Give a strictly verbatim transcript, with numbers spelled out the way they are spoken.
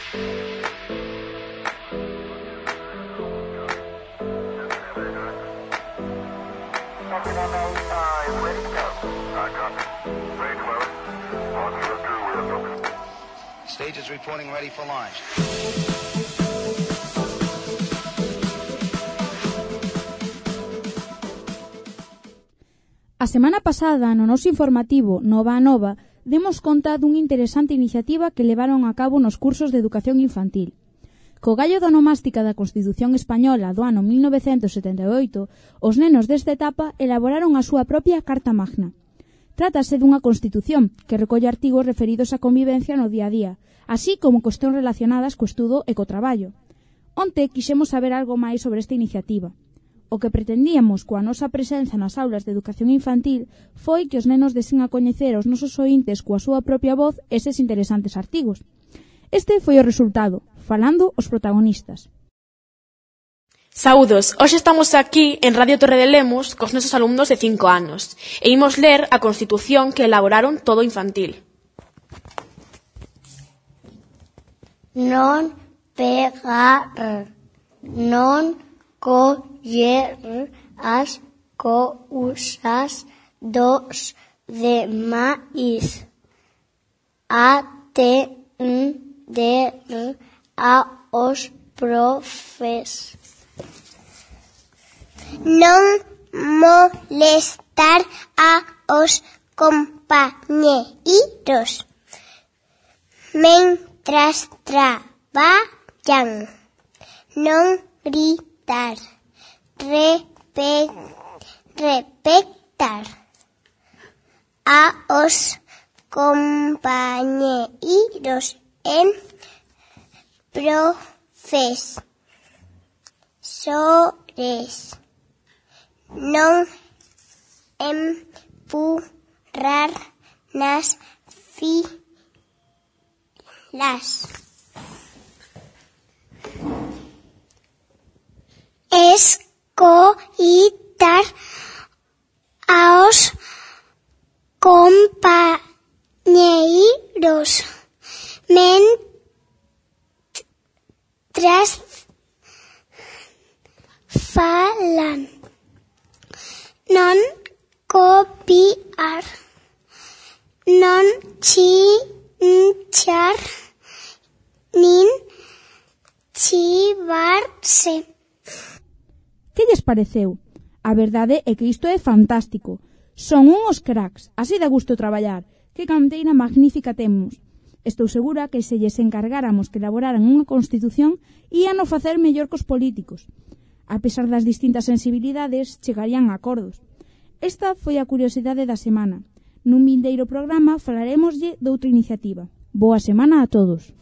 Stage is reporting ready for launch. A semana pasada, no noso informativo Nova a Nova, demos conta dunha interesante iniciativa que levaron a cabo nos cursos de educación infantil. Co gallo da onomástica da Constitución Española do ano mil novecentos setenta e oito, os nenos desta etapa elaboraron a súa propia Carta Magna. Trátase dunha Constitución que recolle artigos referidos á convivencia no día a día, así como cuestións relacionadas co estudo e co traballo. Onte quixemos saber algo máis sobre esta iniciativa. O que pretendíamos coa nosa presenza nas aulas de educación infantil foi que os nenos desen a coñecer aos nosos oíntes coa súa propia voz eses interesantes artigos. Este foi o resultado, falando os protagonistas. Saúdos, hoxe estamos aquí en Radio Torre de Lemos cos nosos alumnos de cinco anos e imos ler a Constitución que elaboraron todo infantil. Non pegar, non coller as cousas dos demais, atender aos profes. Non molestar aos compañeiros mentras traballan. Non gritar, repe, repetar aos compañeiros en profes. Sores. Non empurrar nas filas. Escoitar aos compañeiros mentras falan. Non copiar, non chinchar, nin chivarse. Que lles pareceu? A verdade é que isto é fantástico. Son uns cracks, así dá gusto traballar. Que canteira magnífica temos. Estou segura que se lles encargáramos que elaboraran unha Constitución ían o facer mellor cos políticos. A pesar das distintas sensibilidades, chegarían a acordos. Esta foi a curiosidade da semana. Nun vindeiro programa falaremoslle doutra iniciativa. Boa semana a todos.